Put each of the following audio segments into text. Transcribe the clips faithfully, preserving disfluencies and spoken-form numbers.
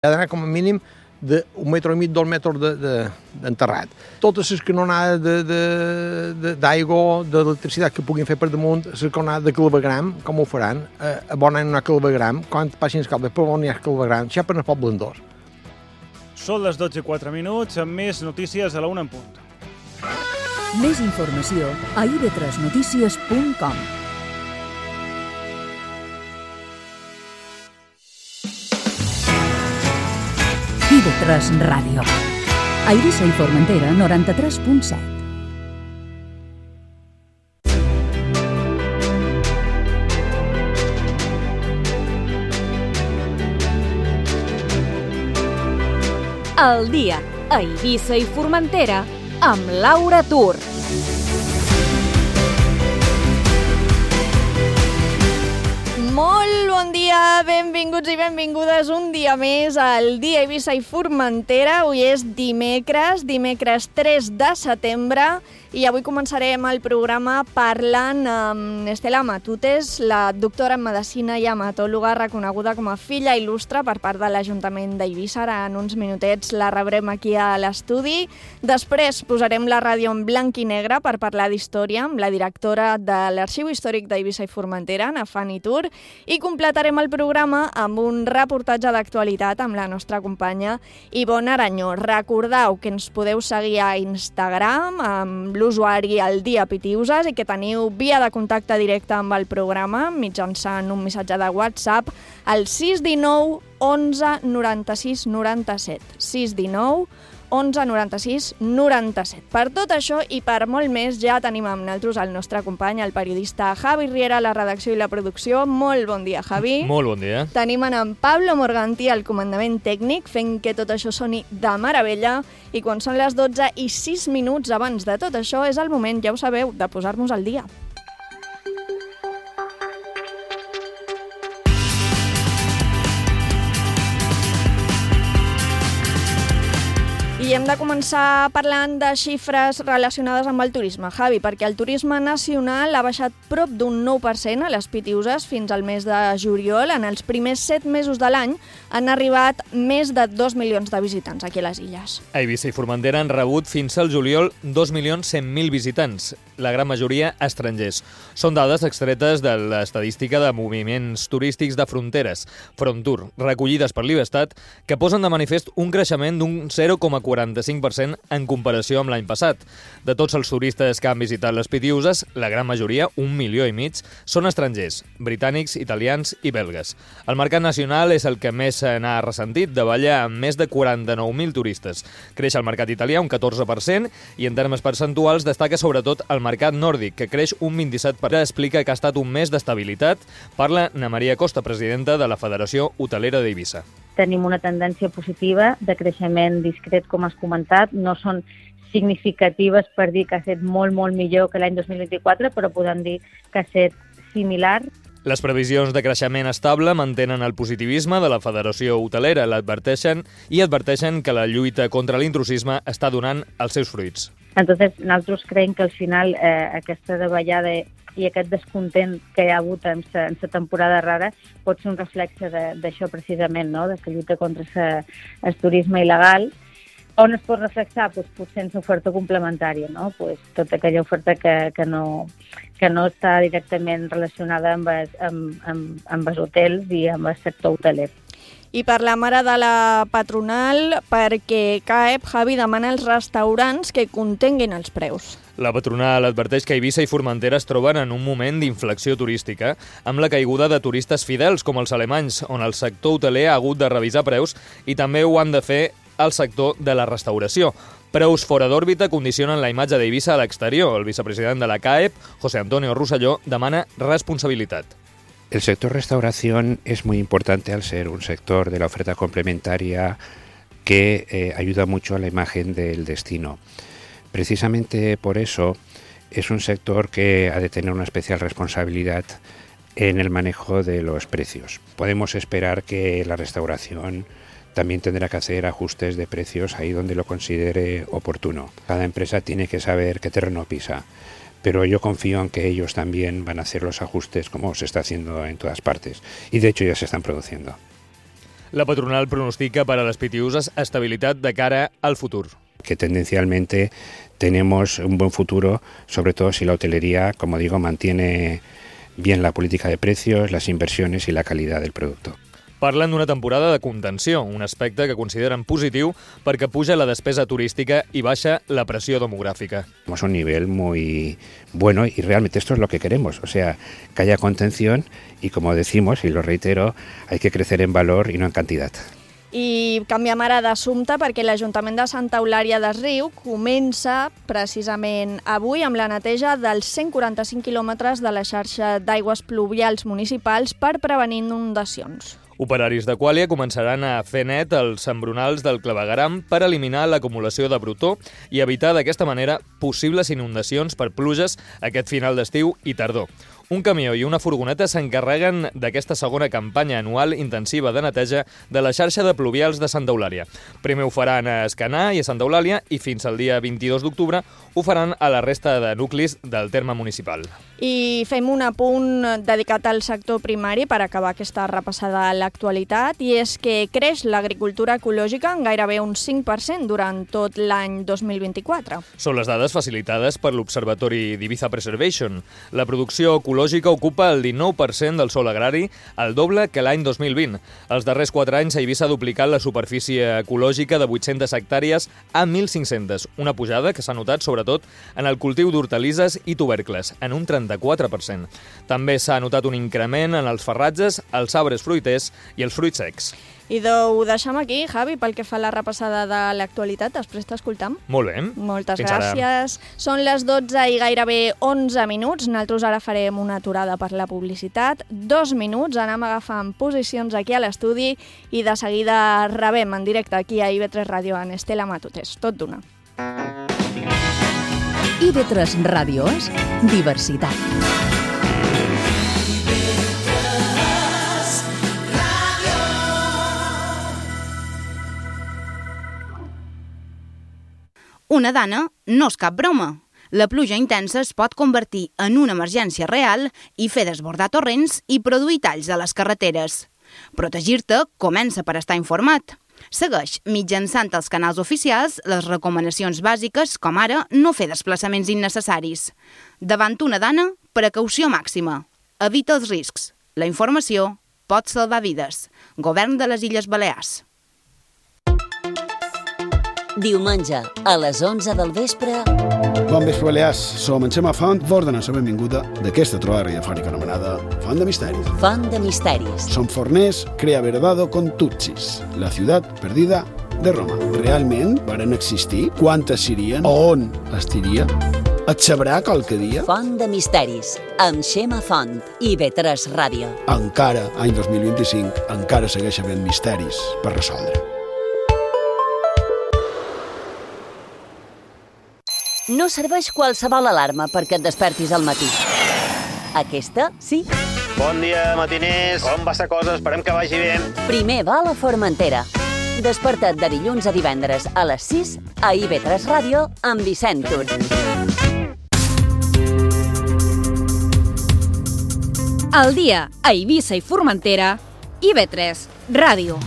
Ha d'anar com a mínim d'un metre i mig, dos metres d'enterrat. Totes les canonades d'aigua, d'electricitat que puguin fer per damunt, les canonades de clavegram, com ho faran? A bon any no hi ha clavegram, quan passin els cables, però on hi ha clavegram, això per el poble d'Andorra. Són les dotze i quatre minuts, amb més notícies a la una en punt. Més informació a i ve tres notícies punt com. i ve tres Ràdio. A Eivissa i Formentera, noranta-tres punt set. El dia a Eivissa i Formentera amb Laura Tur. Molt bon dia, benvinguts i benvingudes un dia més al dia Eivissa i Formentera. Avui és dimecres, dimecres tres de setembre, i avui començarem el programa parlant amb Estela Matutes, la doctora en Medicina i hematòloga reconeguda com a filla il·lustre per part de l'Ajuntament d'Eivissa. Ara en uns minutets la rebrem aquí a l'estudi. Després posarem la ràdio en blanc i negre per parlar d'història amb la directora de l'Arxiu Històric d'Eivissa i Formentera, na Fanny Tur, i completarem el programa amb un reportatge d'actualitat amb la nostra companya Ivonne Aranyó. Recordeu que ens podeu seguir a Instagram amb l'usuari El Dia Pitiuses i que teniu via de contacte directe amb el programa mitjançant un missatge de WhatsApp al sis uno nou onze noranta-sis noranta-set. sis uno nou onze noranta-sis noranta-set. Per tot això i per molt més ja tenim amb nosaltres el nostre company, el periodista Javi Riera, a la redacció i la producció. Molt bon dia, Javi. Molt bon dia. Tenim en Pablo Morganti al comandament tècnic, fent que tot això soni de meravella, i quan són les dotze i sis minuts abans de tot això és el moment, ja ho sabeu, de posar-nos al dia. I hem de començar parlant de xifres relacionades amb el turisme, Javi, perquè el turisme nacional ha baixat prop d'un nou per cent a les Pitiuses fins al mes de juliol. En els primers set mesos de l'any han arribat més de dos milions de visitants aquí a les illes. A Eivissa i Formentera han rebut fins al juliol dos milions cent mil visitants, la gran majoria estrangers. Són dades extretes de l'estadística de moviments turístics de fronteres, Frontur, recollides per l'Ivestat, que posen de manifest un creixement d'un zero coma quaranta-cinc per cent en comparació amb l'any passat. De tots els turistes que han visitat les Pitiuses, la gran majoria, un milió i mig, són estrangers, britànics, italians i belgues. El mercat nacional és el que més se n'ha ressentit, davalla amb més de quaranta-nou mil turistes. Creix el mercat italià un catorze per cent i en termes percentuals destaca sobretot el mercat nòrdic, que creix un vint-i-set per cent. Explica que ha estat un mes d'estabilitat. Parla na Maria Costa, presidenta de la Federació Hotelera d'Eivissa. Tenim una tendència positiva de creixement discret, com has comentat. No són significatives per dir que ha estat molt, molt millor que l'any dos mil vint-i-quatre, però podem dir que ha estat similar. Les previsions de creixement estable mantenen el positivisme de la Federació Hotelera, l'adverteixen i adverteixen que la lluita contra l'intrusisme està donant els seus fruits. Entonces, nosaltres creiem que al final eh, aquesta davallada i aquest descontent que hi ha hagut en la temporada rara pot ser un reflexe d'això precisament, no? De la lluita contra sa, el turisme il·legal. On es pot reflexar? Pues, potser en l'oferta complementària, no? Pues, tota aquella oferta que, que, no, que no està directament relacionada amb, es, amb, amb, amb els hotels i amb el sector hoteler. I parlem ara de la patronal perquè C A E P, Javi, demana als restaurants que contenguin els preus. La patronal adverteix que Eivissa i Formentera es troben en un moment d'inflexió turística, amb la caiguda de turistes fidels com els alemanys, on el sector hoteler ha hagut de revisar preus i també ho han de fer al sector de la restauració. Preus fora d'òrbita condicionen la imatge d'Eivissa a l'exterior. El vicepresident de la C A E P, José Antonio Rosselló, demana responsabilitat. El sector restauración es muy importante al ser un sector de la oferta complementaria que eh, ayuda mucho a la imagen del destino. Precisamente por eso es un sector que ha de tener una especial responsabilidad en el manejo de los precios. Podemos esperar que la restauración también tendrá que hacer ajustes de precios ahí donde lo considere oportuno. Cada empresa tiene que saber qué terreno pisa. Pero yo confío en que ellos también van a hacer los ajustes como se está haciendo en todas partes. Y de hecho ya se están produciendo. La patronal pronostica para las Pitiusas estabilidad de cara al futur. Que tendencialmente tenemos un buen futuro, sobre todo si la hotelería, como digo, mantiene bien la política de precios, las inversiones y la calidad del producto. Parlen d'una temporada de contenció, un aspecte que consideren positiu perquè puja la despesa turística y baixa la presión demográfica. Tenemos un nivel muy bueno y realmente esto es lo que queremos, o sea, que haya contención y, como decimos, y lo reitero, hay que crecer en valor y no en cantidad. I canviem ara d'assumpte perquè l'Ajuntament de Santa Eulària des Riu comença precisament avui amb la neteja dels cent quaranta-cinc quilòmetres de la xarxa d'aigües pluvials municipals per prevenir inundacions. Operaris d'Aquàlia començaran a fer net els embronals del clavegueram per eliminar l'acumulació de brutó i evitar d'aquesta manera possibles inundacions per pluges aquest final d'estiu i tardor. Un camió i una furgoneta s'encarreguen d'aquesta segona campanya anual intensiva de neteja de la xarxa de pluvials de Santa Eulària. Primer ho faran a Escanar i a Santa Eulàlia i fins al dia vint-i-dos d'octubre ho faran a la resta de nuclis del terme municipal. I fem un apunt dedicat al sector primari per acabar aquesta repassada a l'actualitat, i és que creix l'agricultura ecològica en gairebé un cinc per cent durant tot l'any dos mil vint-i-quatre. Són les dades facilitades per l'Observatori d'Ibiza Preservation. La producció ecològica ocupa el dinou per cent del sòl agrari, el doble que l'any dos mil vint. Els darrers quatre anys a Eivissa ha duplicat la superfície ecològica de vuit-centes hectàrees a mil cinc-centes, una pujada que s'ha notat sobretot en el cultiu d'hortalisses i tubercles, en un trenta-quatre per cent. També s'ha notat un increment en els farratges, els arbres fruiters i els fruits secs. I ho deixem aquí, Javi, pel que fa a la repassada de l'actualitat. Després t'escoltam. Molt bé. Moltes Fins gràcies. Ara. Són les dotze i gairebé onze minuts. Nosaltres ara farem una aturada per la publicitat. Dos minuts, anem agafant posicions aquí a l'estudi i de seguida rebem en directe aquí a I V tres Ràdio en Estela Matutes. Tot d'una. I V tres Ràdio és diversitat. Una dana no és cap broma. La pluja intensa es pot convertir en una emergència real i fer desbordar torrents i produir talls a les carreteres. Protegir-te comença per estar informat. Segueix mitjançant els canals oficials les recomanacions bàsiques, com ara no fer desplaçaments innecessaris. Davant una dana, precaució màxima. Evita els riscs. La informació pot salvar vides. Govern de les Illes Balears. Diumenge, a les onze del vespre... Bon vespre, Balears. Som en Xema Font, vos donem la benvinguda d'aquesta trobada radiofònica anomenada Font de Misteris. Font de Misteris. Som forners, crea verdado con Tutsis, la ciutat perdida de Roma. Realment varen existir? Quantes serien? On estiria? Et sabrà qualque dia? Font de Misteris, amb Xema Font, I V tres Ràdio. Encara, any dos mil vint-i-cinc, encara segueix havent misteris per resoldre. No serveix qualsevol alarma perquè et despertis al matí. Aquesta, sí. Bon dia, matiners. Com va la cosa? Esperem que vagi bé. Primer va a la Formentera. Desperta't de dilluns a divendres a les sis a I V tres Ràdio amb Vicent Tur. Al dia a Eivissa i Formentera, I V tres Ràdio.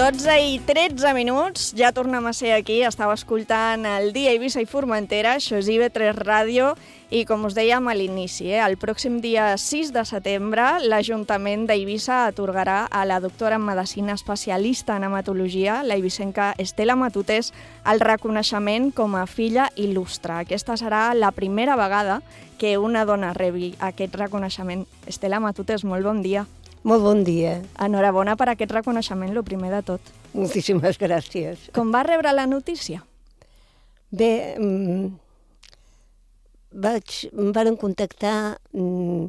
dotze i tretze minuts, ja tornem a ser aquí, estava escoltant el dia Eivissa i Formentera, això és I V tres Ràdio, i com us dèiem a l'inici, eh, el pròxim dia sis de setembre, l'Ajuntament d'Eivissa atorgarà a la doctora en Medicina especialista en hematologia, la eivissenca Estela Matutes, el reconeixement com a filla il·lustre. Aquesta serà la primera vegada que una dona rebi aquest reconeixement. Estela Matutes, molt bon dia. Molt bon dia. Enhorabona per aquest reconeixement, el primer de tot. Moltíssimes gràcies. Com va rebre la notícia? Bé, mm, vaig, em van contactar mm,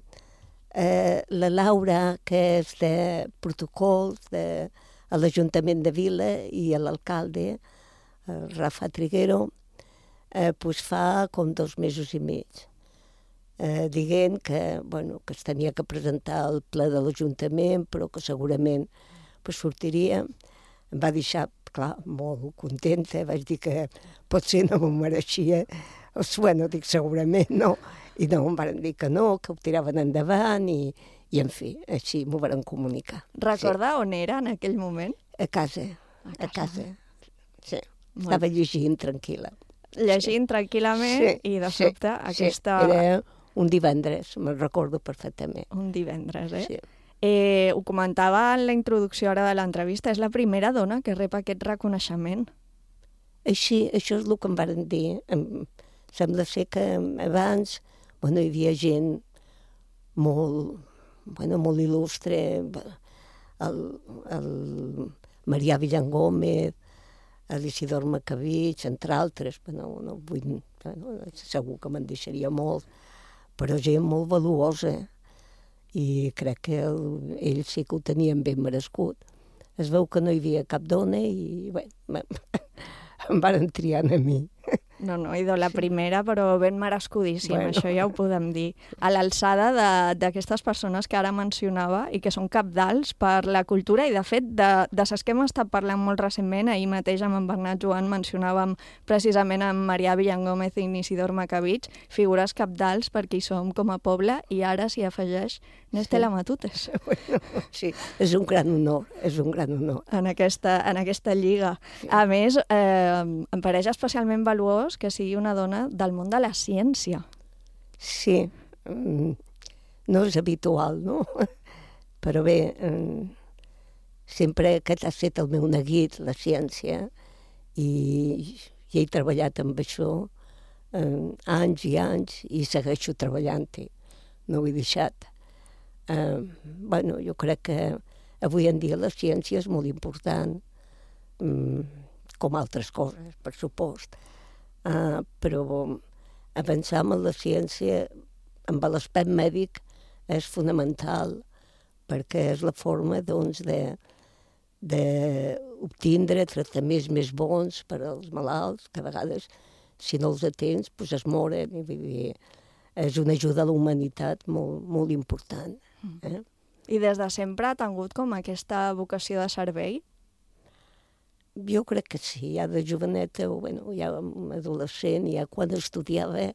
eh, la Laura, que és de protocols de, a l'Ajuntament de Vila, i l'alcalde, eh, Rafa Triguero, eh, pues fa com dos mesos i mig. eh, dient que, bueno, que es tenia que presentar al ple de l'Ajuntament, però que segurament pues, sortiria. Em va deixar, clar, molt contenta, vaig dir que potser no m'ho mereixia. O sigui, bueno, dic, segurament no. I no, em van dir que no, que ho tiraven endavant i, i en fi, així m'ho van comunicar. Recorda sí. on era en aquell moment? A casa, a casa. A casa. Sí, molt. Estava llegint tranquil·la. Llegint sí. tranquil·lament sí. i de sobte sí. aquesta... Sí. Era un divendres, me'n recordo perfectament. Un divendres, eh? Sí. Eh, ho comentava en la introducció ara de l'entrevista, és la primera dona que rep aquest reconeixement. Així, això és el que em van dir. Em, sembla ser que abans bueno, hi havia gent molt, bueno, molt il·lustre, el, el Marià Villangómez, l'Isidor Macabich, entre altres, bueno, no vull, bueno, segur que me'n deixaria molt, però gent molt valuosa, i crec que el, ells sí que ho tenien ben merescut. Es veu que no hi havia cap dona i bé, em van triar a mi. No, no, idò, la primera, però ben merescudíssim, bueno. Això ja ho podem dir. A l'alçada d'aquestes persones que ara mencionava i que són cabdals per la cultura i, de fet, de, de ses que hem estat parlant molt recentment, ahir mateix amb en Bernat Joan mencionàvem precisament amb Marià Villangómez i Isidor Macabich, figures cabdals per qui som com a poble, i ara s'hi afegeix Nestela Matutes. Bueno, sí, és un gran honor, és un gran honor. En aquesta, en aquesta lliga. Sí. A més, eh, em pareix especialment valuós que sigui una dona del món de la ciència. Sí, no és habitual, no? Però bé, sempre aquest ha estat el meu neguit, la ciència, i, i he treballat amb això anys i anys i segueixo treballant-hi, no ho he deixat. Eh, bueno, jo crec que avui en dia la ciència és molt important, com altres coses, per supost. Uh, però avançar en la ciència amb l'aspecte mèdic és fonamental perquè és la forma doncs, de, d'obtindre tractaments més bons per als malalts, que a vegades si no els atens pues, es moren. I, vull dir, és una ajuda a la humanitat molt, molt important. Eh? I des de sempre ha tingut com aquesta vocació de servei? Jo crec que sí, ja de joveneta, o bueno, ja adolescent, ja quan estudiava,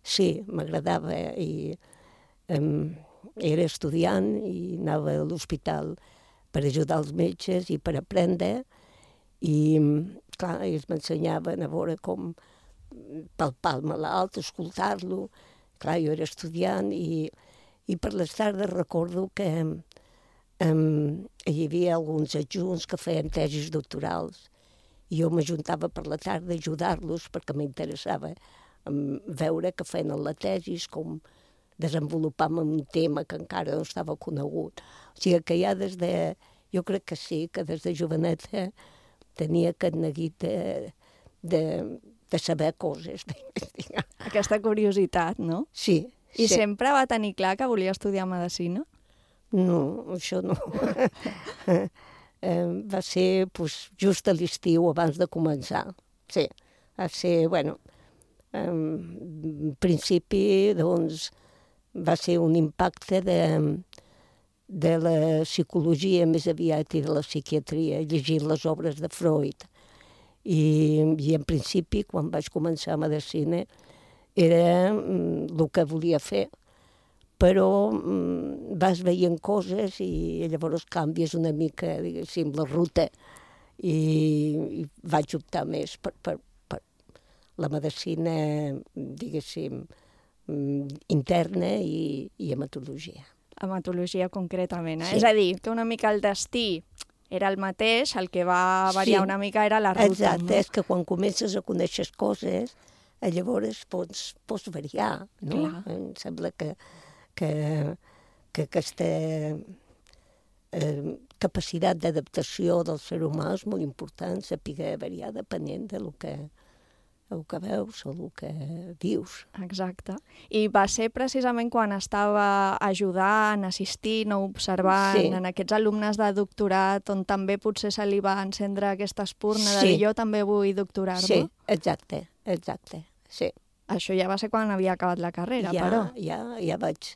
sí, m'agradava i um, era estudiant i anava a l'hospital per ajudar els metges i per aprendre i, clar, ells m'ensenyaven a veure com palpar el malalt, escoltar-lo. Clar, jo era estudiant i, i per les tardes recordo que Um, hi havia alguns adjunts que feien tesis doctorals i jo m'ajuntava per la tarda a ajudar-los perquè m'interessava um, veure que feien la tesis, com desenvolupàvem un tema que encara no estava conegut. O sigui que ja des de... Jo crec que sí, que des de joveneta tenia aquest neguit de, de, de saber coses. Aquesta curiositat, no? Sí. I sí. Sempre va tenir clar que volia estudiar medicina? No, això no. eh, va ser pues, just a l'estiu, abans de començar. Sí, va ser, bueno, en principi, doncs, va ser un impacte de, de la psicologia més aviat i de la psiquiatria, llegint les obres de Freud. I, i en principi, quan vaig començar a medicina, era el que volia fer. Però mm, vas veient coses i llavors canvies una mica, diguéssim, la ruta i, i vaig optar més per, per, per la medicina, diguéssim, interna i, i hematologia. Hematologia concretament, eh? Sí. És a dir, que una mica el destí era el mateix, el que va variar sí. una mica era la ruta. Exacte, no? És que quan comences a conèixer coses, llavors pots, pots variar, no? Clar. Em sembla que que, que aquesta eh, capacitat d'adaptació del ser humà és molt important, saber variar depenent de lo que, el que veus o el que vius. Exacte. I va ser precisament quan estava ajudant, assistint o observant sí. en aquests alumnes de doctorat on també potser se li va encendre aquesta espurna sí. de dir jo també vull doctorar-me? Sí, exacte, exacte, sí. Això ja va ser quan havia acabat la carrera, ja, però... Ja, ja vaig,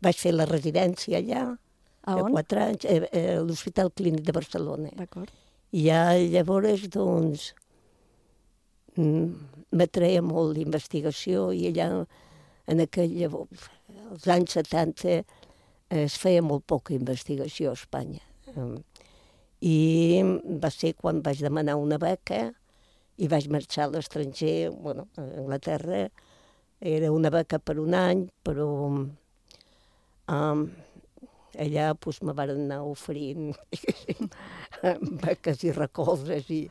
vaig fer la residència allà. A on? Quatre anys, a, a l'Hospital Clínic de Barcelona. D'acord. I ja llavors, doncs, m'atreia molt l'investigació i allà, en aquell llavors, als anys setanta, es feia molt poca investigació a Espanya. I va ser quan vaig demanar una beca i vaig marxar a l'estranger, bueno, a Anglaterra. Era una beca per un any, però um, allà pues, me van anar oferint beques i recolzes i,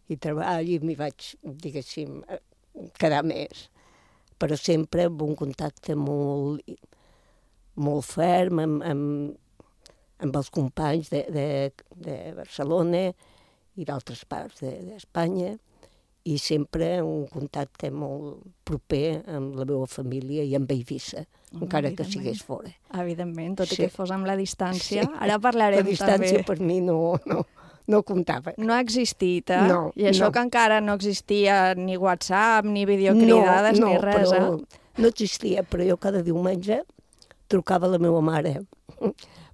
i treball i m'hi vaig, diguéssim, quedar més. Però sempre amb un contacte molt, molt ferm amb, amb, amb els companys de, de, de Barcelona i d'altres parts d'Espanya, i sempre un contacte molt proper amb la meva família i amb Eivissa, oh, encara que sigués fora. Evidentment, tot sí. i que fos amb la distància. Sí. Ara parlarem també... La distància també. Per mi no, no, no comptava. No ha existit, eh? No, I això no. que encara no existia ni WhatsApp, ni videocridades, no, no, ni res, però, eh? No existia, però jo cada diumenge trucava a la meva mare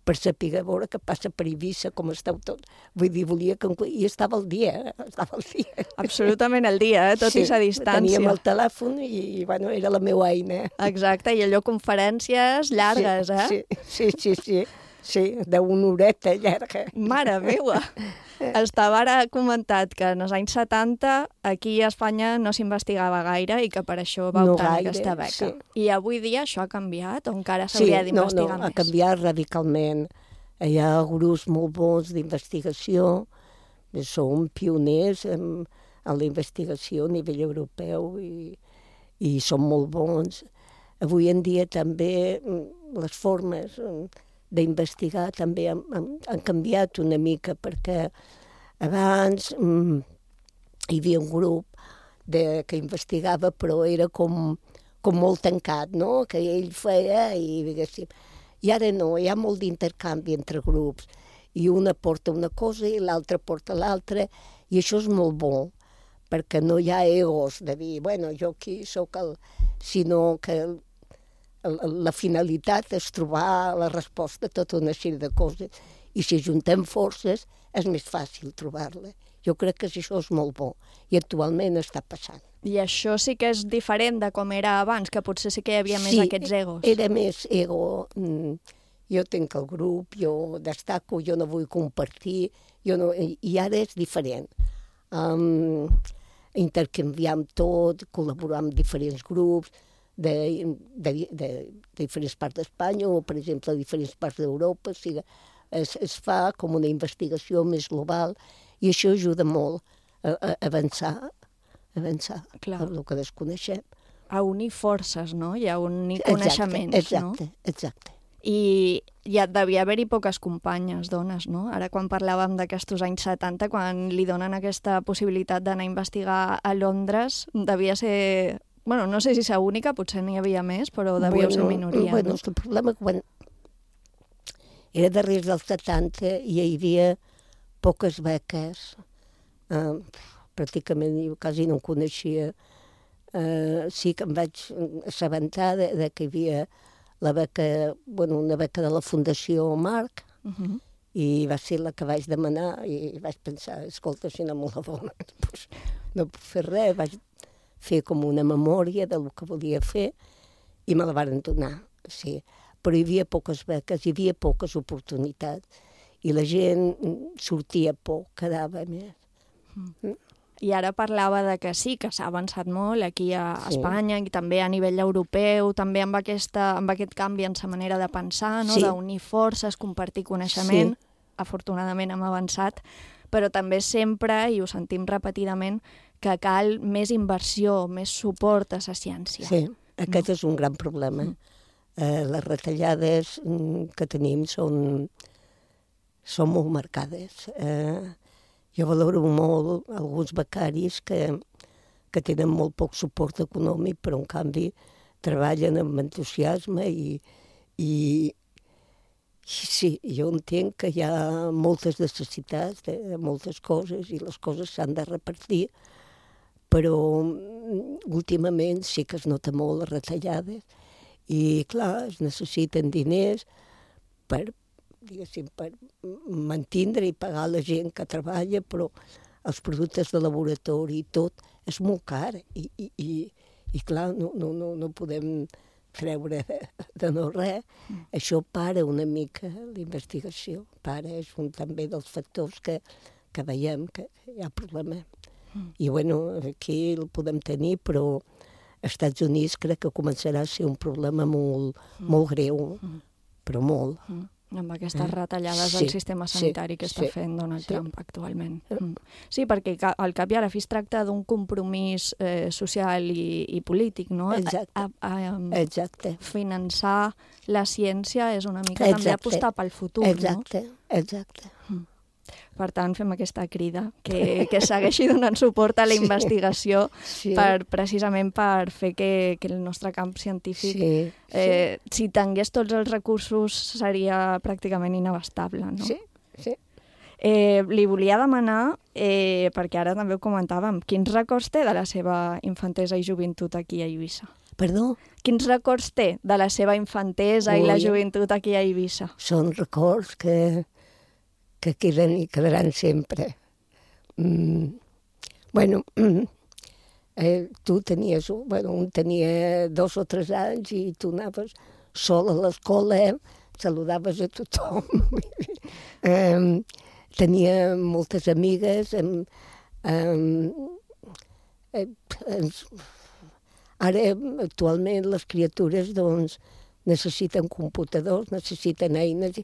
per saber a veure què passa per Eivissa, com esteu tot. Vull dir, volia que... I estava al dia, estava al dia. Absolutament al dia, eh? Tot sí, i sa distància. Teníem el telèfon i, bueno, era la meva eina. Exacte, i allò conferències llargues, sí, eh? Sí, sí, sí, sí, sí, d'una horeta llarga. Mare meva! Estava ara comentat que en els anys setanta aquí a Espanya no s'investigava gaire i que per això va no obtenir gaire, aquesta beca. Sí. I avui dia això ha canviat o encara s'hauria sí, d'investigar no, no, més? Ha canviat radicalment. Hi ha grups molt bons d'investigació, som pioners en, en la investigació a nivell europeu i, i són molt bons. Avui en dia també les formes d'investigar també han, han, han canviat una mica, perquè abans mm, hi havia un grup de, que investigava, però era com, com molt tancat, no? Que ell feia i diguéssim. I ara no, hi ha molt d'intercanvi entre grups, i una porta una cosa i l'altra porta l'altra, i això és molt bo, perquè no hi ha egos de dir, bueno, jo aquí sóc el... sinó que el, la finalitat és trobar la resposta a tota una sèrie de coses, i si juntem forces és més fàcil trobar-la. Jo crec que això és molt bo, i actualment està passant. I això sí que és diferent de com era abans, que potser sí que hi havia més sí, aquests egos. Sí, era més ego. Jo tinc el grup, jo destaco, jo no vull compartir, jo no... i ara és diferent. Um, intercanviam tot, col·laborar amb diferents grups, De, de, de, de diferents parts d'Espanya o, per exemple, de diferents parts d'Europa. O sigui, es, es fa com una investigació més global i això ajuda molt a, a avançar, avançar Clar. amb el que desconeixem. A unir forces, no? I a unir coneixements, exacte, no? Exacte. I ja devia haver-hi poques companyes, dones, no? Ara quan parlàvem d'aquests anys setanta, quan li donen aquesta possibilitat d'anar a investigar a Londres, devia ser... Bueno, no sé si és única, potser n'hi havia més, però devíeu bueno, ser minoria. Bueno, no? El problema que quan era darrere dels setanta i hi havia poques beques, eh, pràcticament jo quasi no en coneixia. Eh, sí que em vaig assabentar de, de que hi havia la beca, bueno, una beca de la Fundació Marc, uh -huh. i va ser la que vaig demanar i vaig pensar, escolta, si no me la donen, doncs no puc fer res, vaig fer com una memòria del que volia fer i me la van donar, sí. Però hi havia poques beques, hi havia poques oportunitats i la gent sortia poc, quedava més. Mm. I ara parlava de que sí, que s'ha avançat molt aquí a sí. Espanya i també a nivell europeu, també amb, aquesta, amb aquest canvi en sa manera de pensar, no? Sí. D'unir forces, compartir coneixement. Sí. Afortunadament hem avançat, però també sempre, i ho sentim repetidament, que cal més inversió, més suport a la ciència. Sí, aquest no? és un gran problema. Mm. Eh, les retallades que tenim són, són molt marcades. Eh, jo valoro molt alguns becaris que, que tenen molt poc suport econòmic, però en canvi treballen amb entusiasme i, i sí, jo entenc que hi ha moltes necessitats de moltes coses i les coses s'han de repartir, però últimament sí que es nota molt les retallades i, clar, es necessiten diners per, diguéssim, per mantindre i pagar la gent que treballa, però els productes de laboratori i tot és molt car i, i, i, i clar, no, no, no, no podem treure de no res. Mm. Això para una mica la investigació, para, és un també dels factors que, que veiem que hi ha problema. Mm. I bueno, aquí el podem tenir, però als Estats Units crec que començarà a ser un problema molt, mm. molt greu, mm. però molt. Mm. Amb aquestes eh? retallades sí, del sistema sanitari sí, que està sí, fent Donald sí. Trump actualment. Mm. Sí, perquè al cap i a la fi es tracta d'un compromís eh, social i, i polític, no? Exacte. A, a, a, Exacte. Finançar la ciència és una mica Exacte. també apostar pel futur, exacte. no? Exacte, exacte. Mm. Per tant, fem aquesta crida, que, que segueixi donant suport a la investigació sí. per, precisament per fer que, que el nostre camp científic, sí, sí. Eh, si tingués tots els recursos, seria pràcticament inabastable, no? Sí, sí. Eh, li volia demanar, eh, perquè ara també ho comentàvem, quins records té de la seva infantesa i joventut aquí a Eivissa? Perdó? Quins records té de la seva infantesa Ui. i la joventut aquí a Eivissa? Són records que... que queden i quedaran sempre. Mm. Bueno, eh, tu tenies, bueno, un tenia dos o tres anys i tu anaves sol a l'escola, eh? Saludaves a tothom. eh, tenia moltes amigues. Eh, eh, eh, ara, actualment, les criatures doncs, necessiten computadors, necessiten eines.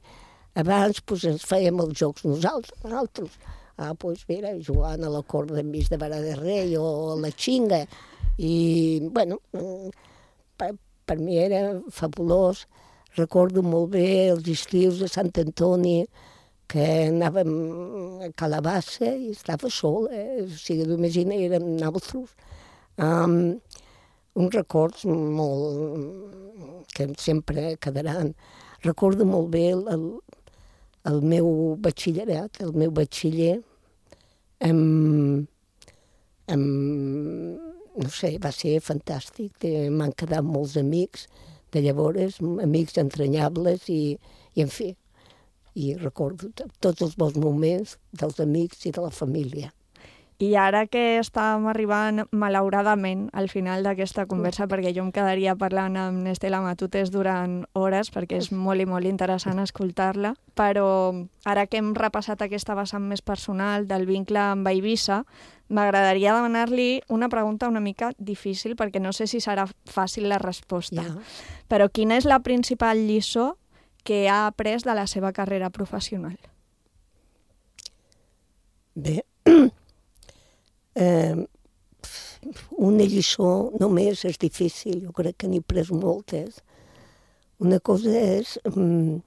Abans doncs, ens fèiem els jocs nosaltres. nosaltres. Ah, doncs mira, jugant a la corda enmig de vara de rei o a la xinga. I, bueno, per, per mi era fabulós. Recordo molt bé els estius de Sant Antoni, que anàvem a Calabassa i estava sol, eh? O sigui, imagina, érem nosaltres. Um, uns records molt... que sempre quedaran. Recordo molt bé el, el, el meu batxillerat, el meu batxiller, amb, amb, no sé, va ser fantàstic. M'han quedat molts amics de llavors, amics entranyables i, i en fi, i recordo tots els bons moments dels amics i de la família. I ara que estàvem arribant, malauradament, al final d'aquesta conversa, perquè jo em quedaria parlant amb Estela Matutes durant hores, perquè és molt i molt interessant escoltar-la, però ara que hem repassat aquesta vessant més personal del vincle amb Eivissa, m'agradaria demanar-li una pregunta una mica difícil, perquè no sé si serà fàcil la resposta. Ja. Però quina és la principal lliçó que ha après de la seva carrera professional? Bé, Eh, una lliçó només és difícil, jo crec que n'he pres moltes. Una cosa és um,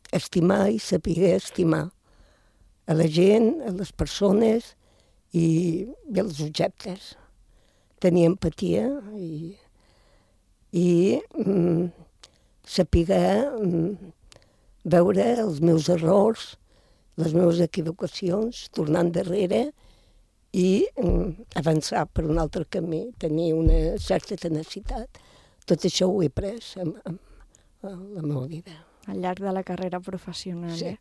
estimar i saber estimar a la gent, a les persones i, i als objectes. Tenir empatia i, i um, saber um, veure els meus errors, les meves equivocacions, tornar endarrere i mm, avançar per un altre camí, tenir una certa tenacitat. Tot això ho he pres en, en, en la meva vida. Al llarg de la carrera professional, sí. eh?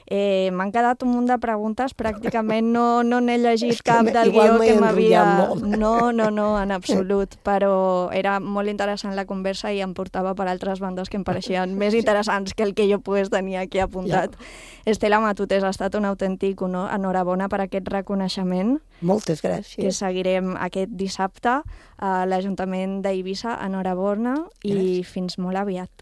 eh M'han quedat un munt de preguntes, pràcticament no no n'he llegit cap del guió que m'havia... No, no, no, en absolut, però era molt interessant la conversa i em portava per altres bandes que em pareixien més interessants que el que jo pogués tenir aquí apuntat. Ja. Estela Matutes, ha estat un autèntic honor, enhorabona per aquest reconeixement. Moltes gràcies. Que seguirem aquest dissabte a l'Ajuntament d'Eivissa, enhorabona i gràcies. Fins molt aviat.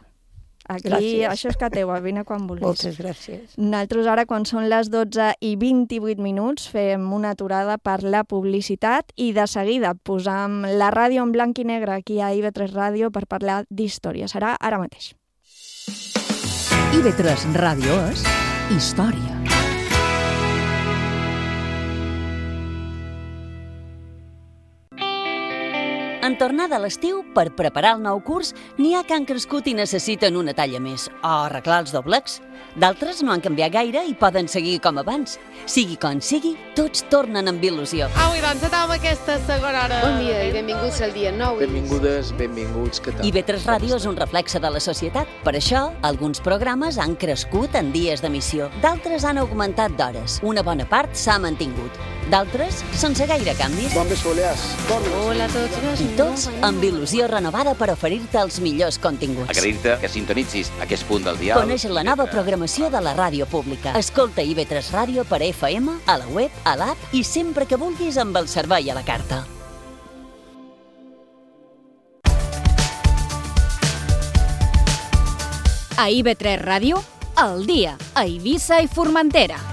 Aquí, gràcies. Això és que teva, vine quan vulguis. Moltes gràcies. Nosaltres ara, quan són les dotze i vint-i-vuit minuts, fem una aturada per la publicitat i de seguida posam la ràdio en blanc i negre aquí a I V tres Ràdio per parlar d'història. Serà ara mateix. I V tres Ràdio és història. En tornada a l'estiu, per preparar el nou curs, n'hi ha que han crescut i necessiten una talla més, o arreglar els doblecs. D'altres no han canviat gaire i poden seguir com abans. Sigui com sigui, tots tornen amb il·lusió. Au, i doncs, anem aquesta segona hora. Bon dia i benvinguts al dia nou. Benvingudes, benvinguts, què tal? I B tres Ràdio és un reflexe de la societat. Per això, alguns programes han crescut en dies d'emissió, d'altres han augmentat d'hores. Una bona part s'ha mantingut. D'altres, sense gaire canvis. Bon vespolers. Hola a tots. I tots amb il·lusió renovada per oferir-te els millors continguts. Agrair-te que sintonitzis aquest punt del dial. Coneix la nova programació de la ràdio pública. Escolta I B tres Ràdio per F M, a la web, a l'app i sempre que vulguis amb el servei a la carta. A I B tres Ràdio, al dia, a Eivissa i Formentera.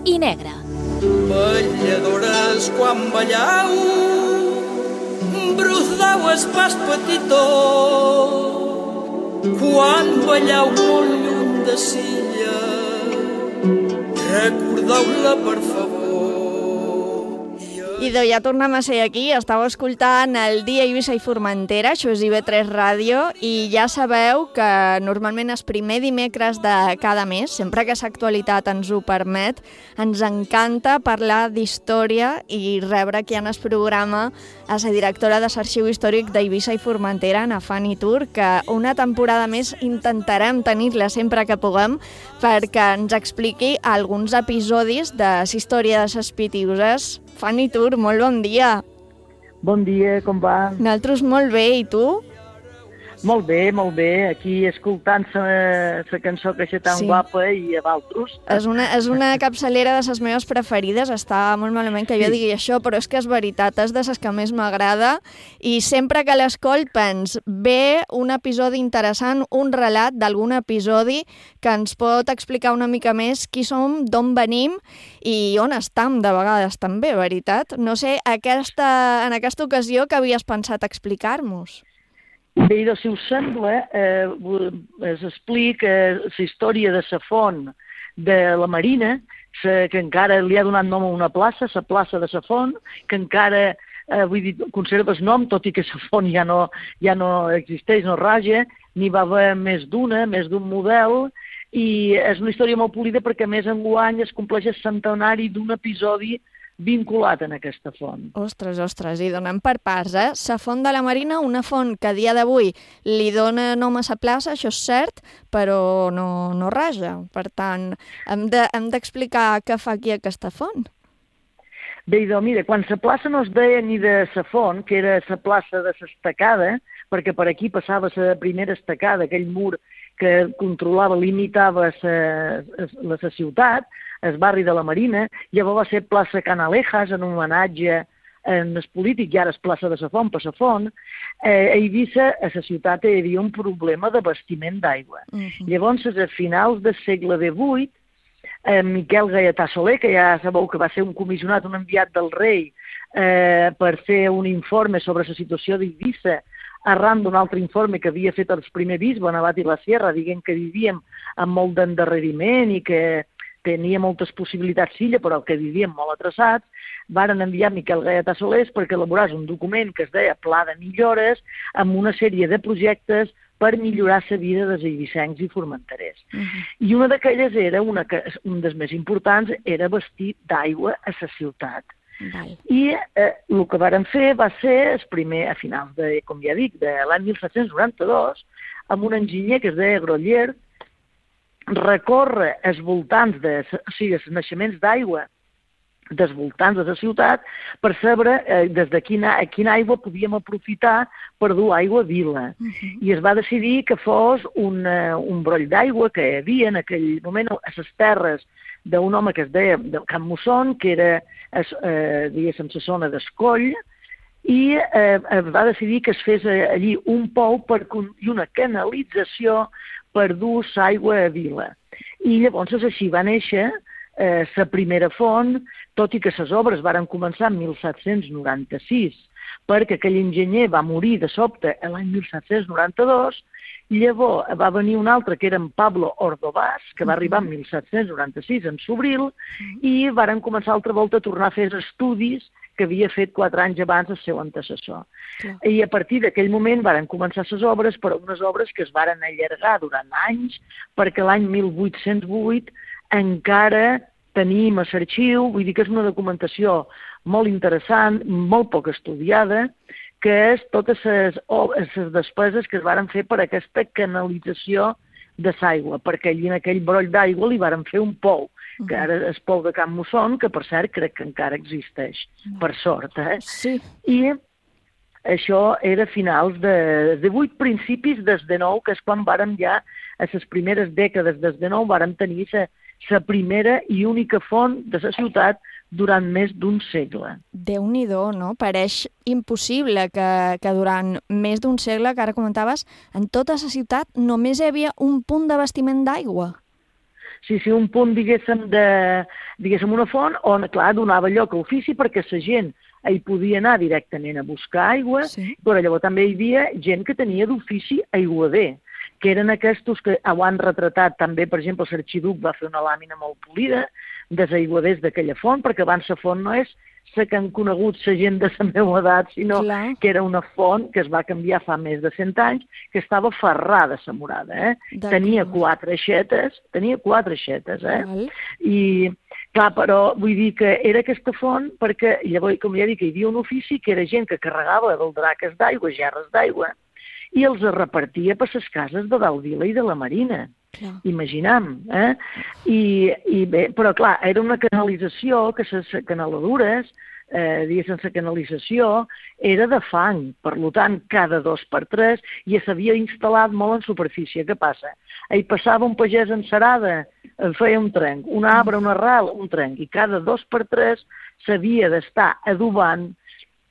I negre. Balladores quan ballau, brudau es pas petitó, quan ballau molt lluny de Silla, recordeu-la per favor. Idò, ja tornem a ser aquí, estàu escoltant el dia Eivissa i Formentera, això és I B tres Ràdio, i ja sabeu que normalment és primer dimecres de cada mes, sempre que l'actualitat ens ho permet, ens encanta parlar d'història i rebre aquí en el programa a la directora de l'Arxiu Històric d'Eivissa i Formentera, na Fanny Tur, que una temporada més intentarem tenir-la sempre que puguem perquè ens expliqui alguns episodis de la història de les Pitiüses. Fanny Tur, molt bon dia. Bon dia, com va? Nosaltres molt bé, i tu? Molt bé, molt bé. Aquí escoltant la cançó que és tan sí. guapa i a Valtros. És una, és una capçalera de les meves preferides. Està molt malament que jo sí. digui això, però és que és veritat, és de les que més m'agrada. I sempre que l'escolt pens, ve un episodi interessant, un relat d'algun episodi que ens pot explicar una mica més qui som, d'on venim i on estam de vegades també, veritat? No sé, aquesta, en aquesta ocasió que havies pensat explicar-nos? Bé, doncs, si us sembla, eh, es explica la història de la font de la Marina, sa, que encara li ha donat nom a una plaça, la plaça de la font, que encara eh, vull dir, conserva el nom, tot i que la font ja no, ja no existeix, no raja, n'hi va haver més d'una, més d'un model, i és una història molt polida perquè, a més, enguany es compleix el centenari d'un episodi vinculat en aquesta font. Ostres, ostres, i donem per parts, eh? La font de la Marina, una font que a dia d'avui li dona nom a la plaça, això és cert, però no, no raja. Per tant, hem de, hem d'explicar què fa aquí aquesta font. Bé, doncs, mira, quan la plaça no es deia ni de la font, que era la plaça de l'estacada, perquè per aquí passava la primera estacada, aquell mur que controlava, limitava la ciutat, el barri de la Marina, llavors va ser plaça Canalejas, en homenatge en el polític, i ara és plaça de la Font, per la Font. Eh, a Eivissa, a la ciutat, hi havia un problema d'abastiment d'aigua. Uh-huh. Llavors, a finals del segle divuit, eh, Miquel Gaietà Soler, que ja sabeu que va ser un comissionat, un enviat del rei, eh, per fer un informe sobre la situació d'Eivissa, arran d'un altre informe que havia fet el primer bisbe, Navat i la Sierra, dient que vivíem amb molt d'endarreriment i que tenia moltes possibilitats filla, però que vivíem molt atrasats, varen enviar Miquel Gaietà Soler perquè elaborés un document que es deia Pla de Millores amb una sèrie de projectes per millorar la vida dels eivissencs i formenterers. Uh-huh. I una d'aquelles era, una que, un dels més importants, era vestir d'aigua a la ciutat. Val. I eh, el que varen fer va ser, el primer, a finals de, com ja dic, de l'any mil set-cents noranta-dos, amb un enginyer que es deia Groller, recorre els voltants, de, o sigui, els naixements d'aigua dels voltants de la ciutat per saber eh, des de quina, quina aigua podíem aprofitar per dur aigua a vila. Uh-huh. I es va decidir que fos un, uh, un broll d'aigua que hi havia en aquell moment a les terres d'un home que es deia Can Musson, que era, es, eh, diguéssim, la zona d'Escoll, i eh, es va decidir que es fes allí un pou per, i una canalització per dur l'aigua a Vila. I llavors així va néixer eh, la primera font, tot i que les obres varen començar en mil set-cents noranta-sis, perquè aquell enginyer va morir de sobte l'any mil set-cents noranta-dos, llavors va venir un altre, que era en Pablo Ordovás, que va arribar en mil set-cents noranta-sis, en Sobril, i varen començar altra volta a tornar a fer estudis que havia fet quatre anys abans el seu antecessor. Clar. I a partir d'aquell moment varen començar les obres, però unes obres que es varen allargar durant anys, perquè l'any mil vuit-cents vuit encara tenim a l'arxiu, vull dir que és una documentació molt interessant, molt poc estudiada, que és totes les, les despeses que es varen fer per aquesta canalització de l'aigua, perquè allí en aquell broll d'aigua li varen fer un pou, que ara és pou de Can Musson, que per cert crec que encara existeix, per sort. Eh? Sí. I això era a finals de, de vuit, principis des de nou, que és quan vàrem ja, a les primeres dècades des de nou, vàrem tenir la primera i única font de la ciutat durant més d'un segle. Déu-n'hi-do, no? Pareix impossible que, que durant més d'un segle, que ara comentaves, en tota la ciutat només hi havia un punt d'abastiment d'aigua. Sí, sí, un punt, diguéssim, de, diguéssim, una font on, clar, donava lloc a ofici perquè la gent hi podia anar directament a buscar aigua, sí. Però llavors també hi havia gent que tenia d'ofici aiguader, que eren aquests que ho han retratat també, per exemple, l'Arxiduc va fer una làmina molt polida dels aiguaders d'aquella font, perquè abans la font no és la que han conegut la gent de la meva edat, sinó Clar. Que era una font que es va canviar fa més de cent anys, que estava ferrada la murada, eh? Tenia quatre aixetes, tenia quatre aixetes, eh? Val. I, clar, però vull dir que era aquesta font perquè, llavors, com ja dic, hi havia un ofici que era gent que carregava del draques d'aigua, gerres d'aigua, i els repartia per les cases de dalt Vila i de la Marina. Clar. Imaginam, eh? I, i bé, però clar, era una canalització que les canaladures, eh, diguéssim, la canalització era de fang, per tant, cada dos per tres, i s'havia instal·lat molt en superfície. Què passa? Hi passava un pagès encerada, feia un trenc, un arbre, un arrel, un trenc, i cada dos per tres s'havia d'estar adobant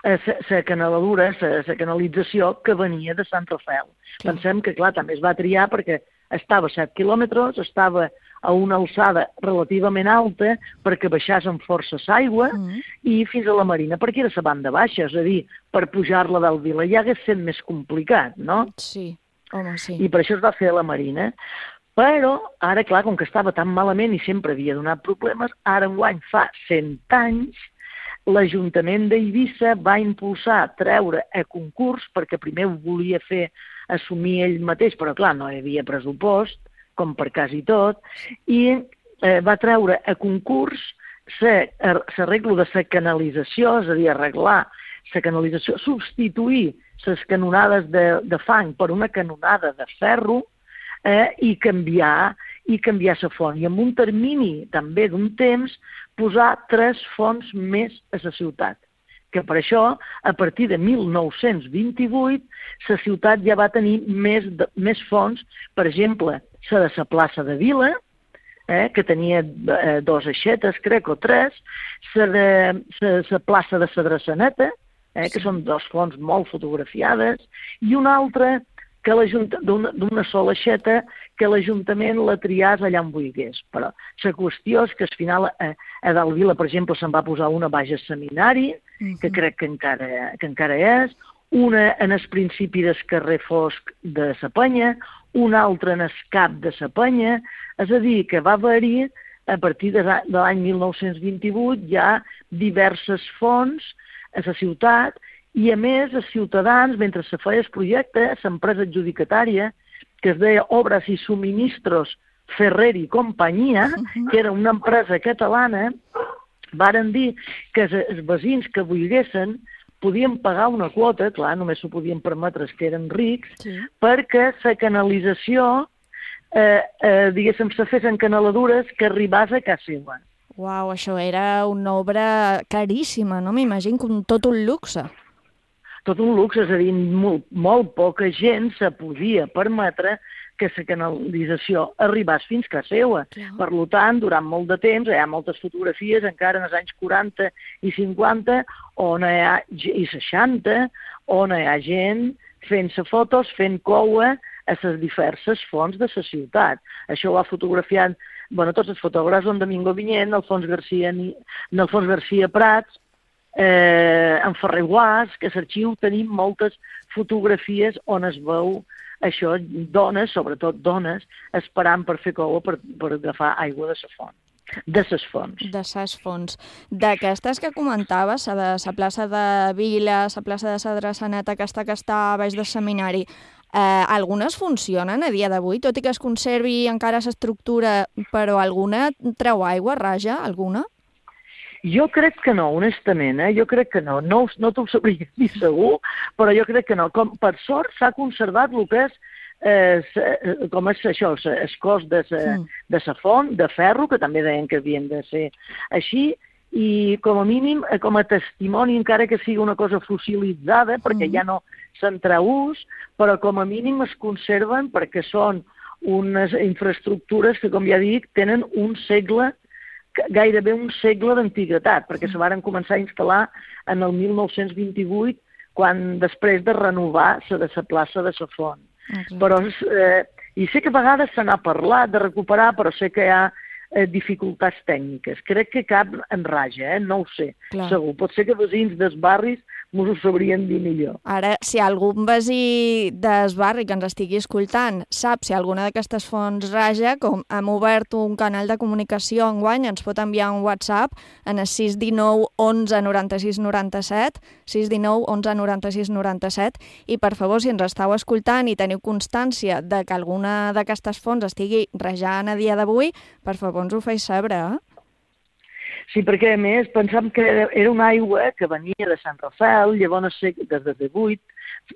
la canaladura, la canalització que venia de Sant Rafel. Clar. Pensem que, clar, també es va triar perquè estava a set quilòmetres, estava a una alçada relativament alta perquè baixés amb força l'aigua mm. i fins a la Marina, perquè era la banda baixa, és a dir, per pujar-la del Vila ja hagués sent més complicat, no? Sí, home, sí. I per això es va fer a la Marina. Però, ara, clar, com que estava tan malament i sempre havia donat problemes, ara enguany fa cent anys, l'Ajuntament d'Eivissa va impulsar treure a concurs, perquè primer ho volia fer assumir ell mateix, però clar, no hi havia pressupost, com per quasi tot, i eh, va treure a concurs l'arreglo de la canalització, és a dir, arreglar la canalització, substituir les canonades de, de fang per una canonada de ferro eh, i canviar i canviar la font. I en un termini també d'un temps posar tres fonts més a la ciutat. Que per això, a partir de mil nou-cents vint-i-vuit, la ciutat ja va tenir més, de, més fonts, per exemple, la de la plaça de Vila, eh, que tenia eh, dos aixetes, crec, o tres, la de la, la plaça de la Drassaneta, eh, que són dos fonts molt fotografiades, i una altra que d'una sola aixeta que l'Ajuntament la triàs allà on vulgués. Però la qüestió és que al final a, a dalt Vila, per exemple, se'n va posar una baix al seminari, uh-huh. que crec que encara, que encara és, una en el principi del carrer Fosc de la Penya, una altra en el cap de la Penya, és a dir, que va haver-hi, a partir de, de l'any mil nou-cents vint-i-vuit, ja diverses fonts a la ciutat, i a més els ciutadans, mentre se feia el projecte, l'empresa adjudicatària, que es deia Obras i Suministros Ferrer i Companyia, que era una empresa catalana, varen dir que els veïns que volguessin podien pagar una quota, clar, només s'ho podien permetre els que eren rics, sí. perquè la canalització, eh, eh, diguéssim, se fes en canaladures que arribàs a casa seva. Uau, això era una obra caríssima, no? M'imagino com tot un luxe. Tot un luxe, és a dir, molt, molt poca gent se podia permetre que la canalització arribés fins a casa seva. Per tant, durant molt de temps, hi ha moltes fotografies, encara en els anys quaranta i cinquanta, on hi ha, i seixanta, on hi ha gent fent-se fotos, fent coua a les diverses fonts de la ciutat. Això ho ha fotografiat, bueno, tots els fotògrafs, en Domingo Vinyent, Alfons Garcia, Alfons Garcia Prats, eh, en Ferrer Guas, que a l'arxiu tenim moltes fotografies on es veu això, dones, sobretot dones, esperant per fer coua per, per agafar aigua de la font. De ses fonts. De ses fonts. D'aquestes que comentaves, de la plaça de Vila, la plaça de la Dressaneta, aquesta que està a baix del seminari, eh, algunes funcionen a dia d'avui, tot i que es conservi encara l'estructura, però alguna treu aigua, raja, alguna? Jo crec que no, honestament, eh? jo crec que no. No, no t'ho sabria dir segur, però jo crec que no. Com, per sort s'ha conservat el que és, eh, com és això, el cos de sa, mm. de sa font, de ferro, que també deien que havien de ser així, i com a mínim, com a testimoni, encara que sigui una cosa fossilitzada, perquè mm. ja no se'n treu ús, però com a mínim es conserven perquè són unes infraestructures que, com ja dic, tenen un segle, gairebé un segle d'antiguitat, perquè se varen començar a instal·lar en el mil nou-cents vint-i-vuit, quan després de renovar la de la plaça de la Font. Okay. Però, eh, i sé que a vegades se n'ha parlat de recuperar, però sé que hi ha eh, dificultats tècniques. Crec que cap en raja, eh? No ho sé, Clar. segur. Pot ser que veïns dels barris mos ho sabrien dir millor. Ara, si algun veí del barri que ens estigui escoltant sap si alguna d'aquestes fonts raja, com hem obert un canal de comunicació enguany, ens pot enviar un WhatsApp en el sis dinou onze noranta-sis noranta-set, sis dinou onze noranta-sis noranta-set, i per favor, si ens estàu escoltant i teniu constància de que alguna d'aquestes fonts estigui rajant a dia d'avui, per favor ens ho feu saber, eh? Sí, perquè a més pensàvem que era una aigua que venia de Sant Rafael, llavors des de divuit,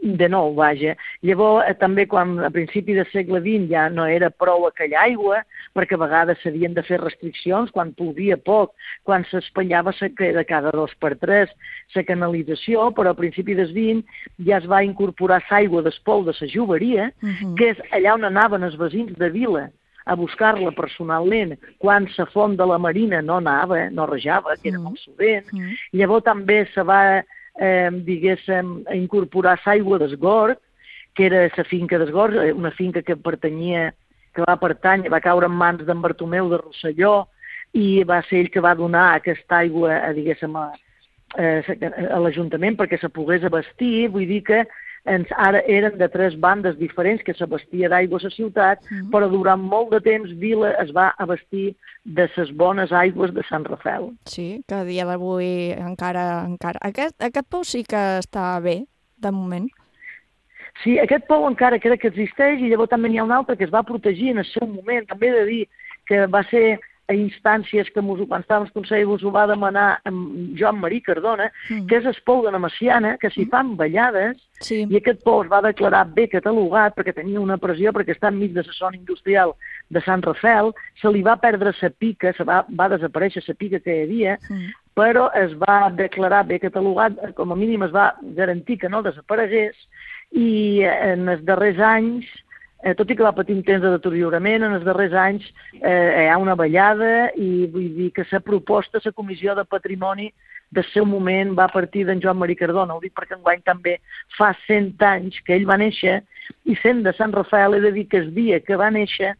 de nou, vaja. Llavors també quan a principi del segle vint ja no era prou aquella aigua, perquè a vegades s'havien de fer restriccions, quan plovia poc, quan s'espanyava de cada dos per tres la canalització, però a principi del vint ja es va incorporar l'aigua del pou de la Joveria, uh-huh. que és allà on anaven els veïns de Vila a buscar-la personalment quan la font de la Marina no anava, no rejava, que era molt sovint. Mm. Llavors també se va, eh, diguéssim, incorporar l'aigua d'Esgord, que era la finca d'Esgord, una finca que pertanyia, que va pertany, va caure en mans d'en Bartomeu de Rosselló, i va ser ell que va donar aquesta aigua, a, diguéssim, a, a l'Ajuntament perquè se pogués abastir. Vull dir que ens, ara eren de tres bandes diferents que s'abastia d'aigua a la ciutat, mm. però durant molt de temps Vila es va abastir de les bones aigües de Sant Rafael. Sí, que a dia d'avui encara... encara... Aquest, aquest pou sí que està bé, de moment. Sí, aquest pou encara crec que existeix, i llavors també n'hi ha un altre que es va protegir en el seu moment. També he de dir que va ser a instàncies que mos, quan estàvem al Consell us ho va demanar en Joan Marí Cardona, mm. que és el pou de la Maciana, que s'hi fan ballades, sí. i aquest pou es va declarar bé catalogat perquè tenia una pressió, perquè està enmig de la zona industrial de Sant Rafael, se li va perdre la pica, se va, va desaparèixer la pica que hi havia, mm. però es va declarar bé catalogat, com a mínim es va garantir que no desaparegués, i en els darrers anys, Eh, tot i que va patir un temps de deteriorament, en els darrers anys eh, hi ha una ballada, i vull dir que la proposta, la Comissió de Patrimoni del seu moment va partir d'en Joan Marí Cardona. Ho dic perquè enguany també fa cent anys que ell va néixer, i sent de Sant Rafael he de dir que el dia que va néixer,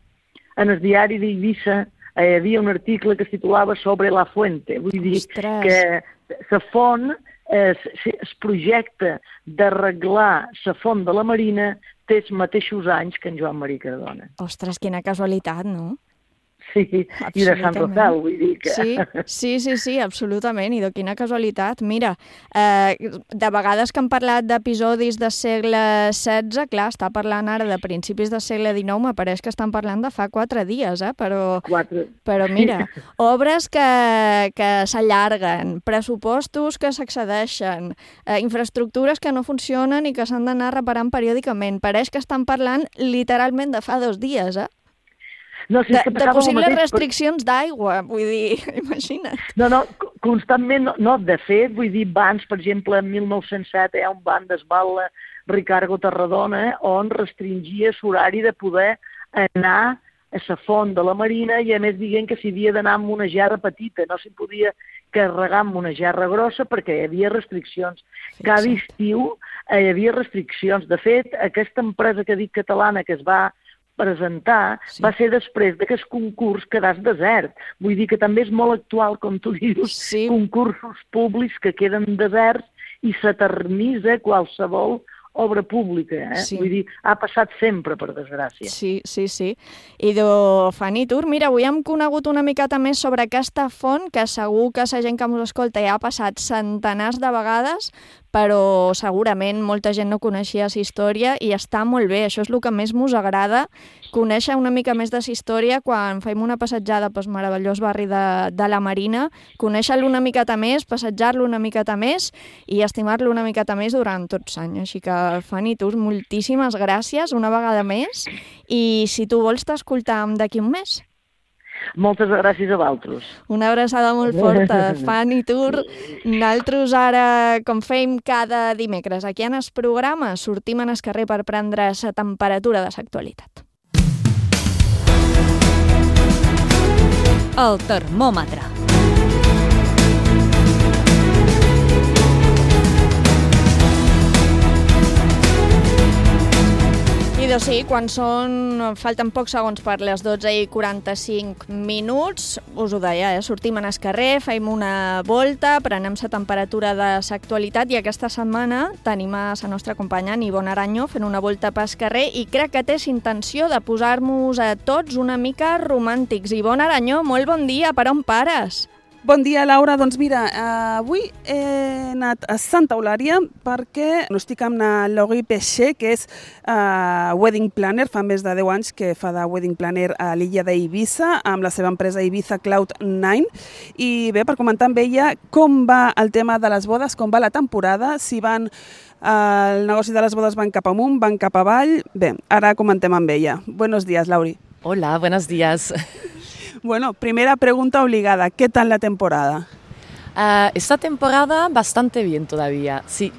en el diari d'Eivissa eh, hi havia un article que es titulava Sobre la Fuente. Vull dir Ostres. que la font, eh, el projecte d'arreglar la font de la Marina té els mateixos anys que en Joan Marí Cardona. Ostres, quina casualitat, no? Sí, i de Sant Rafael, vull dir que... Sí, sí, sí, sí, absolutament, i de quina casualitat. Mira, eh, de vegades que hem parlat d'episodis del segle setze, clar, està parlant ara de principis del segle dinou, m'apareix que estan parlant de fa quatre dies, eh? Però, quatre. però mira, obres que, que s'allarguen, pressupostos que s'excedeixen, eh, infraestructures que no funcionen i que s'han d'anar reparant periòdicament. Pareix que estan parlant literalment de fa dos dies, eh? No, si de, que de possibles mateix, restriccions però... d'aigua, vull dir, imagina't. No, no, constantment, no, no, de fet, vull dir, bans, per exemple, en mil nou-cents set hi ha un ban d'esbala Ricardo Tarragona, on restringia l'horari de poder anar a la font de la Marina i a més dient que s'hi havia d'anar amb una gerra petita, no s'hi podia carregar amb una gerra grossa perquè hi havia restriccions. Cada estiu hi havia restriccions. De fet, aquesta empresa que dic catalana que es va presentar sí. va ser després d'aquest concurs quedàs desert. Vull dir que també és molt actual, com tu dius, sí. concursos públics que queden deserts i s'eternitza qualsevol obra pública, eh? Sí. Vull dir, ha passat sempre, per desgràcia. Sí, sí, sí. I de Fanny Tur, mira, avui hem conegut una miqueta més sobre aquesta font, que segur que la gent que ens escolta ja ha passat centenars de vegades, però segurament molta gent no coneixia la història i està molt bé. Això és el que més mos agrada, conèixer una mica més de la història quan fem una passatjada pel meravellós barri de, de la Marina, conèixer-lo una miqueta més, passejar-lo una miqueta més i estimar-lo una miqueta més durant tots anys. Així que, Fanny, tu, moltíssimes gràcies una vegada més i si tu vols t'escoltam d'aquí un mes. Moltes gràcies a vosaltres. Una abraçada molt forta. Fanny Tur, nosaltres ara, com fem cada dimecres aquí en el programa, sortim en el carrer per prendre la temperatura de l'actualitat. El termòmetre. I doncs sí, quan són, falten pocs segons per les dotze i quaranta-cinc minuts, us ho deia, eh? sortim en el carrer, fem una volta, prenem la temperatura de l'actualitat i aquesta setmana tenim a la nostra companya Ivonne Aranyo fent una volta pel carrer i crec que té intenció de posar-nos a tots una mica romàntics. Ivonne Aranyo, molt bon dia, per on pares? Bon dia, Laura. Doncs mira, eh, avui he anat a Santa Eulària perquè no estic amb la Laurie Peixer, que és eh, wedding planner, fa més de deu anys que fa de wedding planner a l'illa d'Eivissa, amb la seva empresa Ibiza Cloud nine. I bé, per comentar amb ella com va el tema de les bodes, com va la temporada, si van... Eh, el negoci de les bodes van cap amunt, van cap avall... Bé, ara comentem amb ella. Buenos días, Lauri. Hola, buenos días. Bueno, primera pregunta obligada, ¿qué tal la temporada? Uh, esta temporada bastante bien todavía, sí,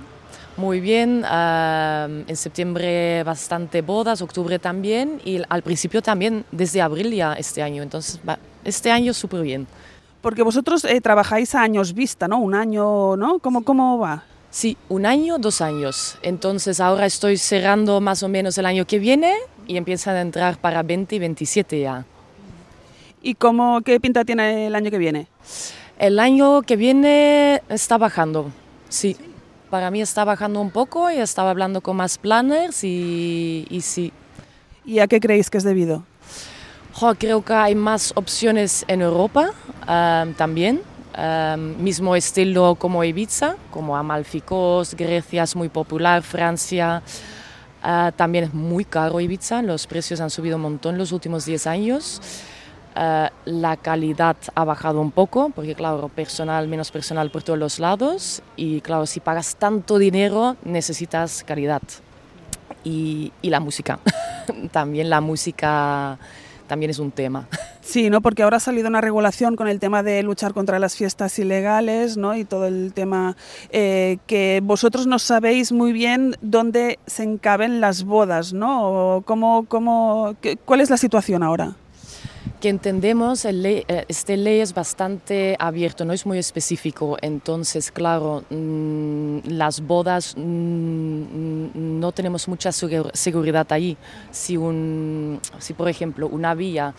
muy bien. Uh, en septiembre bastante bodas, octubre también y al principio también desde abril ya este año, entonces este año súper bien. Porque vosotros eh, trabajáis a años vista, ¿no? Un año, ¿no? ¿Cómo, cómo va? Sí, un año, dos años. Entonces ahora estoy cerrando más o menos el año que viene y empiezan a entrar para veinte y veintisiete ya. ¿Y cómo, qué pinta tiene el año que viene? El año que viene está bajando, sí. Para mí está bajando un poco y estaba hablando con más planners y, y sí. ¿Y a qué creéis que es debido? Oh, creo que hay más opciones en Europa um, también. Um, mismo estilo como Ibiza, como Amalfi Coast, Grecia es muy popular, Francia. Uh, también es muy caro Ibiza, los precios han subido un montón en los últimos diez años. Uh, la calidad ha bajado un poco, porque claro, personal, menos personal por todos los lados y claro, si pagas tanto dinero necesitas calidad. Y, y la música, también la música también es un tema. Sí, ¿no? Porque ahora ha salido una regulación con el tema de luchar contra las fiestas ilegales, ¿no? Y todo el tema eh, que vosotros no sabéis muy bien dónde se encaben las bodas, ¿no? O cómo, cómo, qué, ¿cuál es la situación ahora? Que entendemos, el ley, este ley es bastante abierto, no es muy específico, entonces claro, mmm, las bodas mmm, no tenemos mucha seguridad ahí. Si, un, si por ejemplo una villa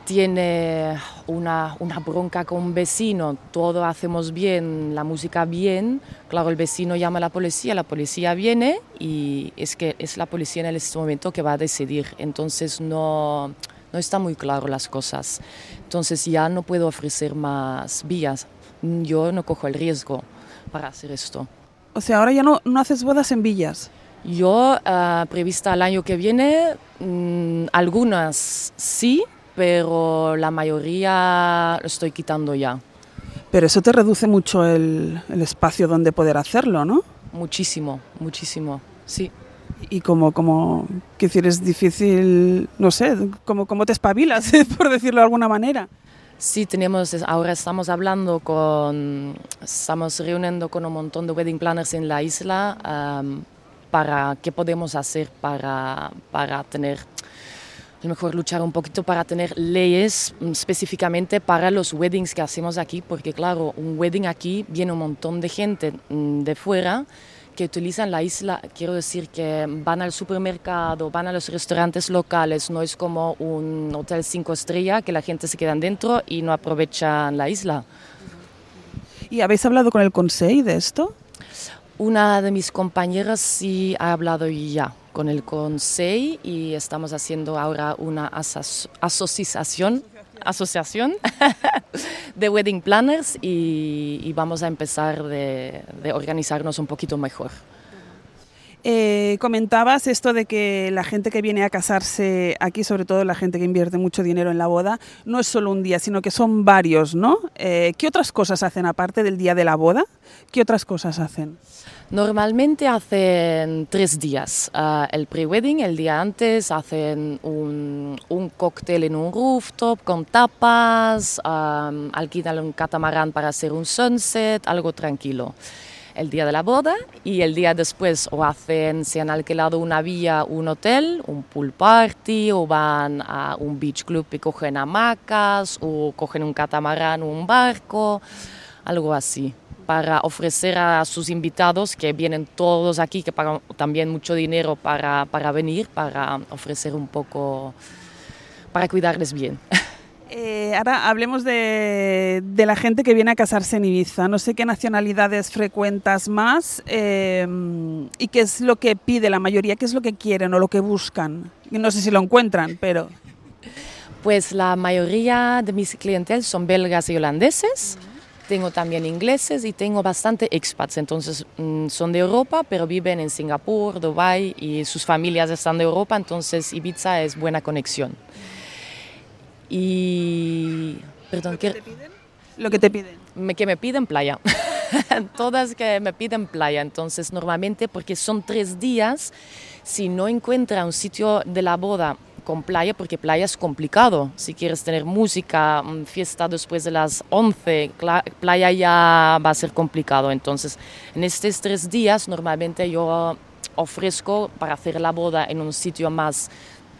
tiene una, una bronca con un vecino, todo hacemos bien, la música bien, claro, el vecino llama a la policía, la policía viene y es que es la policía en este momento que va a decidir, entonces no... No está muy claro las cosas, entonces ya no puedo ofrecer más vías, yo no cojo el riesgo para hacer esto. O sea, ahora ya no, no haces bodas en villas. Yo, uh, prevista el año que viene, mmm, algunas sí, pero la mayoría lo estoy quitando ya. Pero eso te reduce mucho el, el espacio donde poder hacerlo, ¿no? Muchísimo, muchísimo, sí. Y como, como, que decir, es difícil, no sé, como, como te espabilas, por decirlo de alguna manera. Sí, tenemos, ahora estamos hablando con, estamos reuniendo con un montón de wedding planners en la isla um, para qué podemos hacer para, para tener, a lo mejor luchar un poquito para tener leyes específicamente para los weddings que hacemos aquí, porque claro, un wedding aquí viene un montón de gente de fuera que utilizan la isla, quiero decir que van al supermercado, van a los restaurantes locales, no es como un hotel cinco estrellas que la gente se queda dentro y no aprovechan la isla. ¿Y habéis hablado con el Consell de esto? Una de mis compañeras sí ha hablado ya con el Consell y estamos haciendo ahora una aso- asociación, asociación de wedding planners y, y vamos a empezar de, de organizarnos un poquito mejor. Eh, comentabas esto de que la gente que viene a casarse aquí, sobre todo la gente que invierte mucho dinero en la boda, no es solo un día, sino que son varios, ¿no? Eh, ¿Qué otras cosas hacen aparte del día de la boda? ¿Qué otras cosas hacen? Normalmente hacen tres días. Uh, el pre-wedding, el día antes, hacen un, un cóctel en un rooftop con tapas, um, alquilan un catamarán para hacer un sunset, algo tranquilo. El día de la boda y el día después o hacen, se han alquilado una villa, un hotel, un pool party, o van a un beach club y cogen hamacas, o cogen un catamarán o un barco, algo así, para ofrecer a sus invitados, que vienen todos aquí, que pagan también mucho dinero para, para venir, para ofrecer un poco, para cuidarles bien. Eh, ahora hablemos de, de la gente que viene a casarse en Ibiza. No sé qué nacionalidades frecuentas más eh, y qué es lo que pide la mayoría, qué es lo que quieren o lo que buscan. No sé si lo encuentran, pero... Pues la mayoría de mis clientes son belgas y holandeses. Tengo también ingleses y tengo bastante expats, entonces mmm, son de Europa, pero viven en Singapur, Dubái y sus familias están de Europa, entonces Ibiza es buena conexión. Y... Perdón, ¿Lo que te piden? Lo que te piden. Me, que me piden playa. Todas que me piden playa, entonces normalmente porque son tres días, si no encuentra un sitio de la boda con playa, porque playa es complicado. Si quieres tener música, fiesta después de las once, playa ya va a ser complicado. Entonces, en estos tres días, normalmente yo ofrezco para hacer la boda en un sitio más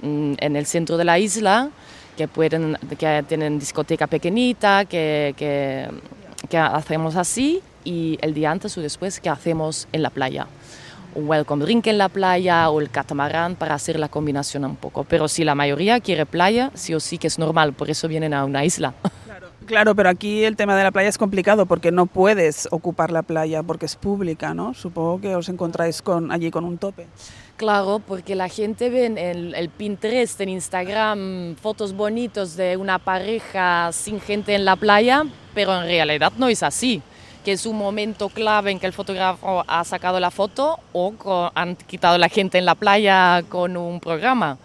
mm, en el centro de la isla, que pueden, que tienen discoteca pequeñita, que, que, que hacemos así, y el día antes o después que hacemos en la playa. Un welcome drink en la playa o el catamarán para hacer la combinación un poco. Pero si la mayoría quiere playa, sí o sí que es normal, por eso vienen a una isla. Claro, claro, pero aquí el tema de la playa es complicado porque no puedes ocupar la playa porque es pública, ¿no? Supongo que os encontráis con, allí con un tope. Claro, porque la gente ve en el, el Pinterest, en Instagram, fotos bonitos de una pareja sin gente en la playa, pero en realidad no es así. Que es un momento clave en que el fotógrafo ha sacado la foto o con, han quitado la gente en la playa con un programa.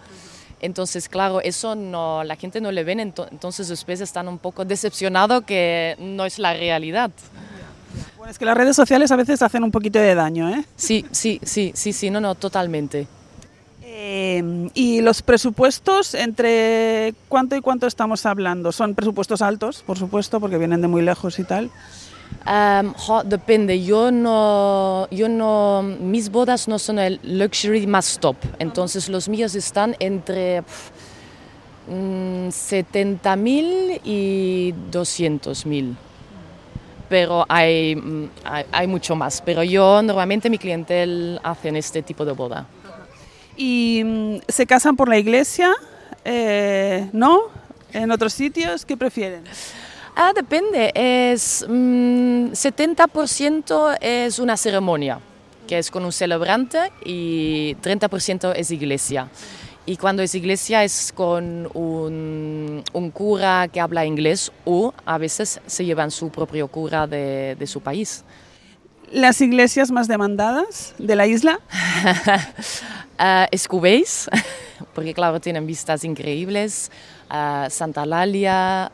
Entonces, claro, eso no, la gente no le ven, entonces después están un poco decepcionados que no es la realidad. Bueno, es que las redes sociales a veces hacen un poquito de daño, ¿eh? Sí, sí, sí, sí, sí, no, no, totalmente. Eh, ¿Y los presupuestos, entre cuánto y cuánto estamos hablando? Son presupuestos altos, por supuesto, porque vienen de muy lejos y tal. Um, jo, depende, yo no, yo no, mis bodas no son el luxury más top, entonces los míos están entre pff, mm, setenta mil y doscientos mil. Pero hay, hay, hay mucho más. Pero yo, normalmente, mi clientela hacen este tipo de boda. ¿Y se casan por la iglesia? Eh, ¿No? ¿En otros sitios? ¿Qué prefieren? Ah, depende. Es, mmm, setenta por ciento es una ceremonia, que es con un celebrante, y treinta por ciento es iglesia. Y cuando es iglesia es con un, un cura que habla inglés o a veces se llevan su propio cura de, de su país. ¿Las iglesias más demandadas de la isla? uh, Escubéis, porque claro, tienen vistas increíbles. Uh, Santa Eulalia,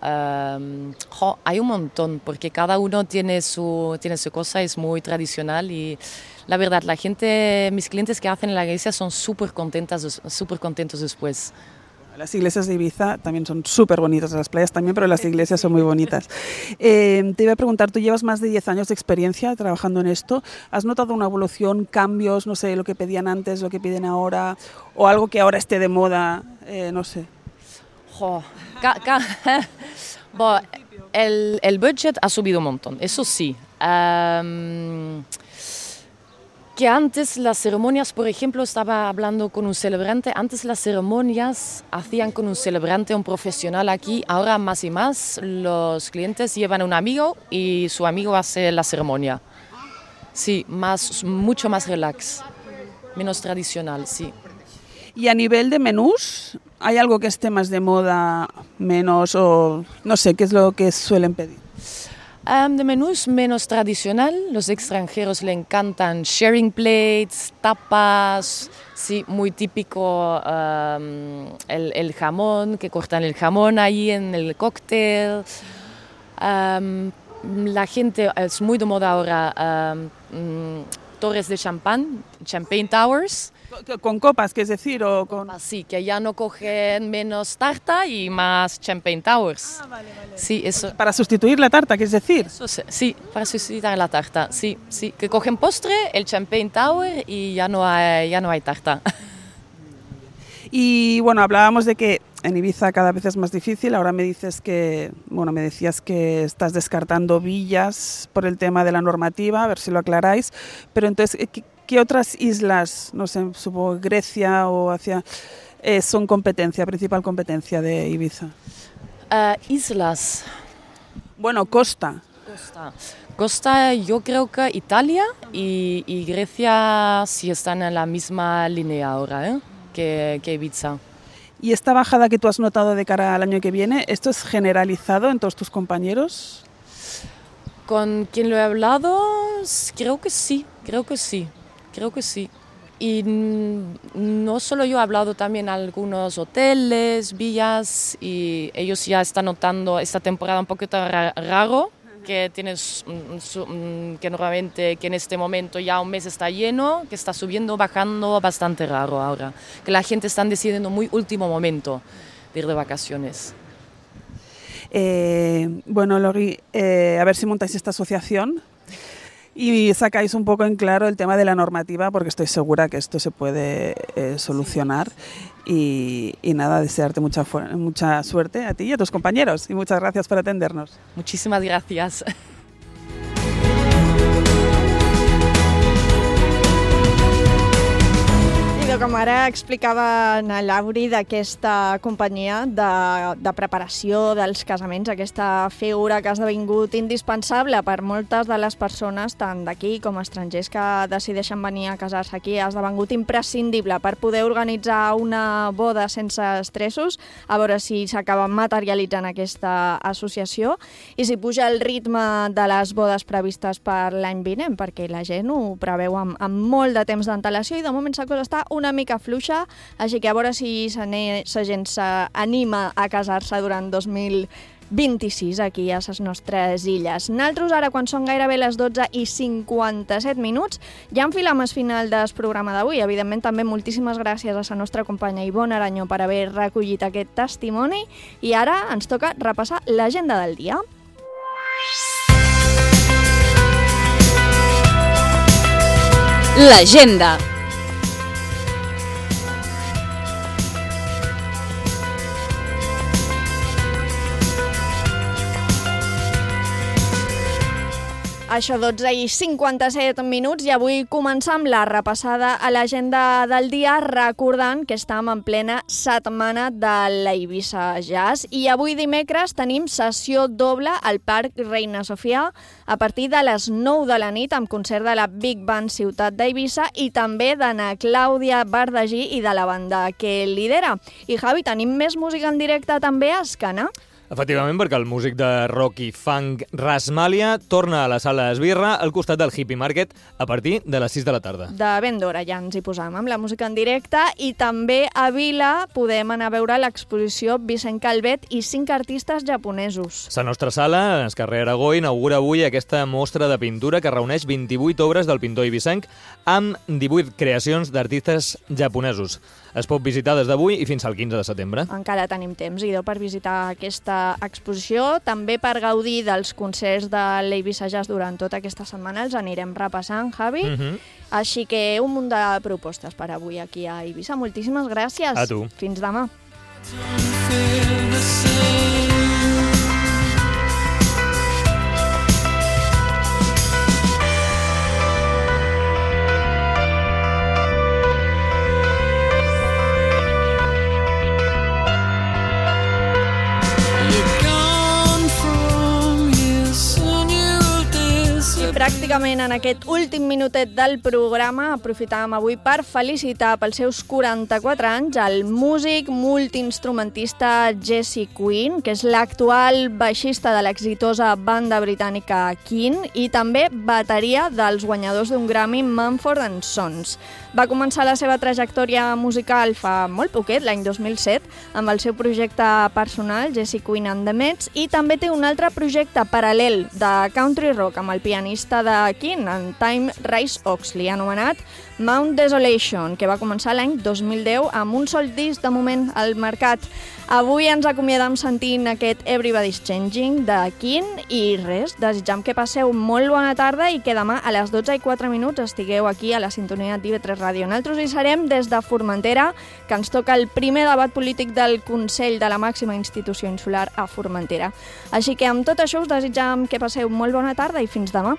um, jo, hay un montón, porque cada uno tiene su, tiene su cosa, es muy tradicional y la verdad, la gente, mis clientes que hacen en la iglesia son súper contentas, súper contentos después. Las iglesias de Ibiza también son súper bonitas, las playas también, pero las iglesias son muy bonitas. Eh, te iba a preguntar, tú llevas más de diez años de experiencia trabajando en esto. ¿Has notado una evolución, cambios, no sé, lo que pedían antes, lo que piden ahora, o algo que ahora esté de moda, eh, no sé? Jo, ca, ca, bo, el, el budget ha subido un montón, eso sí. Um, que antes las ceremonias, por ejemplo, estaba hablando con un celebrante, antes las ceremonias hacían con un celebrante, un profesional aquí, ahora más y más los clientes llevan a un amigo y su amigo hace la ceremonia. Sí, más, mucho más relax, menos tradicional, sí. Y a nivel de menús, ¿hay algo que esté más de moda, menos, o no sé, qué es lo que suelen pedir? Um, de menús menos tradicional, los extranjeros le encantan sharing plates, tapas, sí, muy típico um, el, el jamón, que cortan el jamón ahí en el cóctel. Um, la gente, es muy de moda ahora, um, torres de champán, champagne towers. ¿Con copas, qué es decir? O con... Sí, que ya no cogen menos tarta y más champagne towers. Ah, vale, vale. Sí, eso. Para sustituir la tarta, ¿qué es decir? Eso, sí, para sustituir la tarta, sí, sí. Que cogen postre, el champagne tower y ya no hay, ya no hay tarta. Y bueno, hablábamos de que en Ibiza cada vez es más difícil. Ahora me dices que, bueno, me decías que estás descartando villas por el tema de la normativa, a ver si lo aclaráis. Pero entonces, ¿qué, qué otras islas, no sé, supongo Grecia o hacia, eh, son competencia, principal competencia de Ibiza? Uh, islas. Bueno, costa. Costa. Costa, yo creo que Italia y, y Grecia sí están en la misma línea ahora, ¿eh? que, que Ibiza. ¿Y esta bajada que tú has notado de cara al año que viene, esto es generalizado en todos tus compañeros? Con quien lo he hablado, creo que sí, creo que sí, creo que sí. Y no solo yo, he hablado también a algunos hoteles, villas, y ellos ya están notando esta temporada un poquito ra- raro, que tienes que normalmente que en este momento ya un mes está lleno, que está subiendo, bajando, bastante raro ahora, que la gente está decidiendo muy último momento de ir de vacaciones. Eh, bueno, Lori, eh, a ver si montáis esta asociación y sacáis un poco en claro el tema de la normativa, porque estoy segura que esto se puede eh, solucionar. Y, y nada, desearte mucha, mucha suerte a ti y a tus compañeros. Y muchas gracias por atendernos. Muchísimas gracias. Com ara explicava na Lauri d'aquesta companyia de, de preparació dels casaments, aquesta figura que ha esdevingut indispensable per moltes de les persones, tant d'aquí com estrangers que decideixen venir a casar-se aquí, ha esdevingut imprescindible per poder organitzar una boda sense estressos, a veure si s'acaba materialitzant aquesta associació i si puja el ritme de les bodes previstes per l'any vinent, perquè la gent ho preveu amb, amb molt de temps d'antelació i de moment la cosa està una una mica fluixa, així que a veure si la gent s'anima a casar-se durant dos mil vint-i-sis aquí a les nostres illes. Nosaltres ara, quan són gairebé les dotze i cinquanta-set minuts, ja enfilam el final del programa d'avui. Evidentment, també moltíssimes gràcies a la nostra companya Ivonne Arañó per haver recollit aquest testimoni i ara ens toca repassar l'agenda del dia. L'agenda. Això, dotze i cinquanta-set minuts, i avui començam la repassada a l'agenda del dia recordant que estem en plena setmana de la Eivissa Jazz i avui dimecres tenim sessió doble al Parc Reina Sofia a partir de les nou de la nit amb concert de la Big Band Ciutat d'Eivissa i també d'Anna Clàudia Bardagí i de la banda que lidera. I Javi, tenim més música en directe també a Escana? Efectivament, perquè el músic de rock i funk Rasmalia torna a la sala Esbirra al costat del Hippie Market a partir de les sis de la tarda. De ben d'hora ja ens hi posam amb la música en directe i també a Vila podem anar a veure l'exposició Vicent Calvet i cinc artistes japonesos. La nostra sala, al carrer Aragó, inaugura avui aquesta mostra de pintura que reuneix vint-i-vuit obres del pintor eivissenc amb divuit creacions d'artistes japonesos. Es pot visitar des d'avui i fins al quinze de setembre. Encara tenim temps, idò, per visitar aquesta exposició, també per gaudir dels concerts de l'Eivissa Jazz durant tota aquesta setmana, els anirem repassant, Javi. Mhm. Així que un munt de propostes per avui aquí a Eivissa. Moltíssimes gràcies. A tu. Fins demà. Pràcticament en aquest últim minutet del programa aprofitàvem avui per felicitar pels seus quaranta-quatre anys el músic multiinstrumentista Jesse Quinn, que és l'actual baixista de l'exitosa banda britànica Keane i també bateria dels guanyadors d'un Grammy Mumford and Sons. Va començar la seva trajectòria musical fa molt poquet, l'any dos mil set, amb el seu projecte personal, Jesse Quinn and the Mets, i també té un altre projecte paral·lel de country rock amb el pianista de Keane, en Time Rice Oxley, anomenat Mount Desolation, que va començar l'any dos mil deu amb un sol disc de moment al mercat. Avui ens acomiadam sentint aquest Everybody's Changing de Keane i res, desitjam que passeu molt bona tarda i que demà a les dotze i quatre minuts estigueu aquí a la sintonia d'I V tres Ràdio. Nosaltres hi serem des de Formentera, que ens toca el primer debat polític del Consell de la màxima institució insular a Formentera. Així que amb tot això us desitjam que passeu molt bona tarda i fins demà.